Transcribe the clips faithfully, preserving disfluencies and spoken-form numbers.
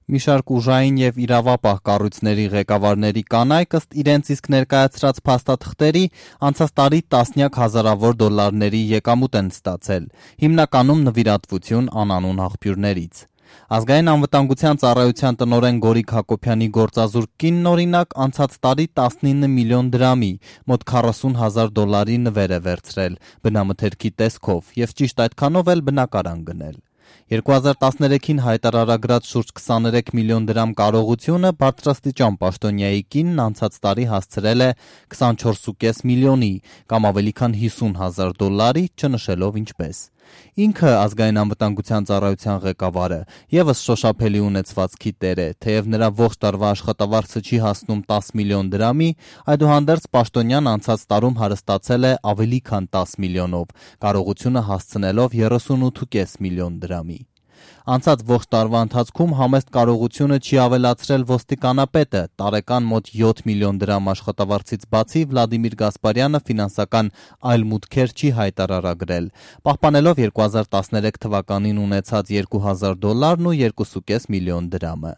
Մի շարք ուժային եւ իրավապահ կառույցների ղեկավարների կանայք ըստ իրենց իսկ ներկայացրած փաստաթղթերի անցած տարի տասնյակ հազարավոր դոլարների եկամուտ են ստացել, հիմնականում նվիրատվություն անանուն աղբյուրներից։ Ազգային անվտանգության ծառայության տնօրեն Գորիկ Հակոբյանի գործազուրկ կինն օրինակ անցած տարի տասնինը միլիոն դրամի, մոտ քառասուն հազար դոլարի նվեր է վերցրել բնամթերքի տեսքով եւ ճիշտ այդքանով էլ բնակարան գնել։ երկու հազար տասներեքին հայտարարագրած շուրջ քսաներեք միլիոն դրամ կարողությունը բարձրաստիճան պաշտոնյայի կինն անցած տարի հասցրել է քսանչորս կόμμα պենս միլիոնի կամ ավելի քան հիսուն հազար դոլարի, չնշելով ինչպես։ Ինքը ազգային անվտանգության ծառայության ղեկավարը եւս շոշափելի ունեցվածքի տեր է, թեև նրա ողջ տարվա աշխատավարձը չի հասնում տասը միլիոն դրամի, այդուհանդերձ պաշտոնյան անցած տարում հարստացել է ավելի քան տասը միլիոնով, կարողությունը հասցնելով երեսունութ կόμμα պենս միլիոն դրամի։ Անցած ողջ տարվա ընթացքում համեստ կարողությունը չի ավելացրել ոստիկանապետը, տարեկան մոտ յոթ միլիոն դրամ աշխատավարձից բացի Վլադիմիր Գասպարյանը ֆինանսական այլ մուտքեր չի հայտարարագրել, պահպանելով երկու հազար տասներեք թվականին ունեցած երկու հազար դոլարն ու երկու կόμμα պենս միլիոն դրամը։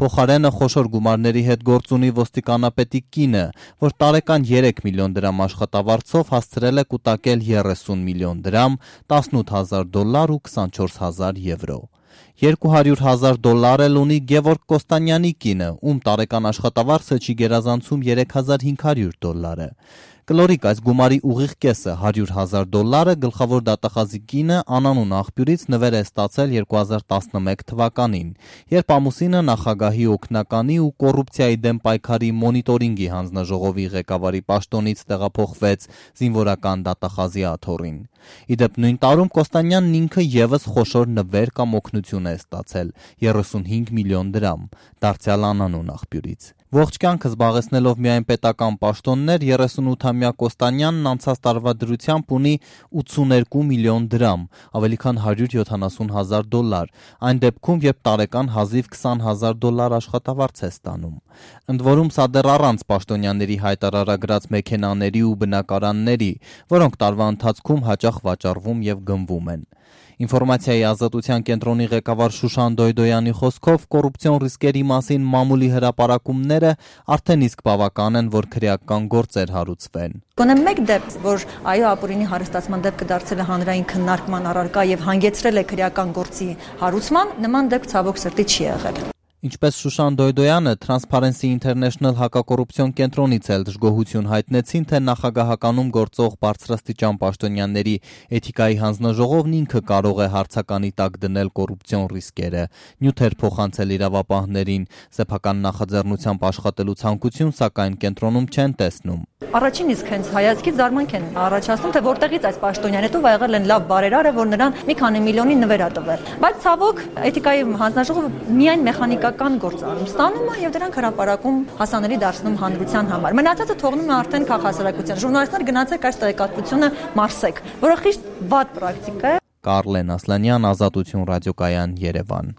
Փոխարենը խոշոր գումարների հետ գործ ունի ոստիկանապետի կինը, որ տարեկան երեք միլիոն դրամ աշխատավարձով հասցրել է կուտակել երեսուն միլիոն դրամ, տասնութ հազար դոլար ու քսանչորս հազար եվրո։ երկու հարյուր հազար դոլար էլ ունի Գևորգ Կոստանյանի կինը, ում տարեկան աշխատավարձը չի գերազանցում երեք հազար հինգ հարյուր դոլարը։ Կլորիկ այս գումարի ուղիղ կեսը հարյուր հազար դոլարը գլխավոր դատախազի կինը անանուն աղբյուրից նվեր է ստացել երկու հազար տասնմեկ թվականին, երբ ամուսինը նախագահի օգնականի ու կոռուպցիայի դեմ պայքարի մոնիտորինգի հանձնաժողովի ղեկավարի պաշտոնից տեղափոխվեց զինվորական դատախազի աթոռին։ Իդեպ նույն տարում Կոստանյանն ինքը եւս խոշոր նվեր կամ օգնություն է ստացել երեսունհինգ միլիոն դրամ, դարձյալ անանուն աղբյուրից։ Ողջ կյանքը զբաղեցնելով միայն պետական պաշտոններ, երեսունութամյա Կոստանյանն անցած տարվա դրությամբ ունի ութսուներկու միլիոն դրամ, ավելի քան հարյուր յոթանասուն հազար դոլար, այն դեպքում, երբ տարեկան հազիվ քսան հազար դոլար աշխատավարձ է ստանում։ Ընդ որում սա դեռ առանց պաշտոնյաների հայտարարագրած մեքենաների ու բնակարանների, որոնք տարվա ընթացքում հաճախ վաճառվում եւ գնվում են։ Ինֆորմացիայի ազատության կենտրոնի ղեկավար Շուշան Դոյդոյանի խոսքով կոռուպցիոն ռիսկերի մասին մամուլի հրապարակումները արդեն իսկ բավական են, որ քրեական գործեր հարուցվեն։ Գոնե մեկ դեպք, որ այո ապօրինի հարստացման դեպքը դարձել է հանրային քննարկման առարկա եւ հանգեցրել է քրեական գործի հարուցման, նման դեպք ցավոք սրտի չի եղել։ Ինչպես Շուշան Դոյդոյանը Transparency International հակակոռուպցիոն կենտրոնից էլ դժգոհություն հայտնեցին, թե նախագահականում գործող բարձրաստիճան պաշտոնյաների էթիկայի հանձնաժողովն ինքը կարող է հարցականի տակ դնել կոռուպցիոն ռիսկերը, նյութեր փոխանցել իրավապահներին, սեփական նախաձեռնությամբ աշխատելու ցանկություն, սակայն կենտրոնում չեն տեսնում։ Առաջին իսկ հենց հայացքից զարմանք են առաջացնում, թե որտեղից այս պաշտոնյան հետո եղել են լավ բարերարը, որ նրան մի քանի միլիոնի նվեր ա տվել։ Բայց ցավոք էթիկայի հանձնաժողովը միայն մեխանիկական գործ անում, ստանում է եւ դրանք հրապարակում հասանելի դարձնում հանրության համար։ Մնացածը թողնում է արդեն քաղաքասարակության։ Ժուրնալիստներ գնացեք այս տեղեկատվությունը մարսեք, որը խիստ վատ պրակտիկա է։ Կարլեն Ասլանյան, Ազատություն ռադիոկայան, Երևան։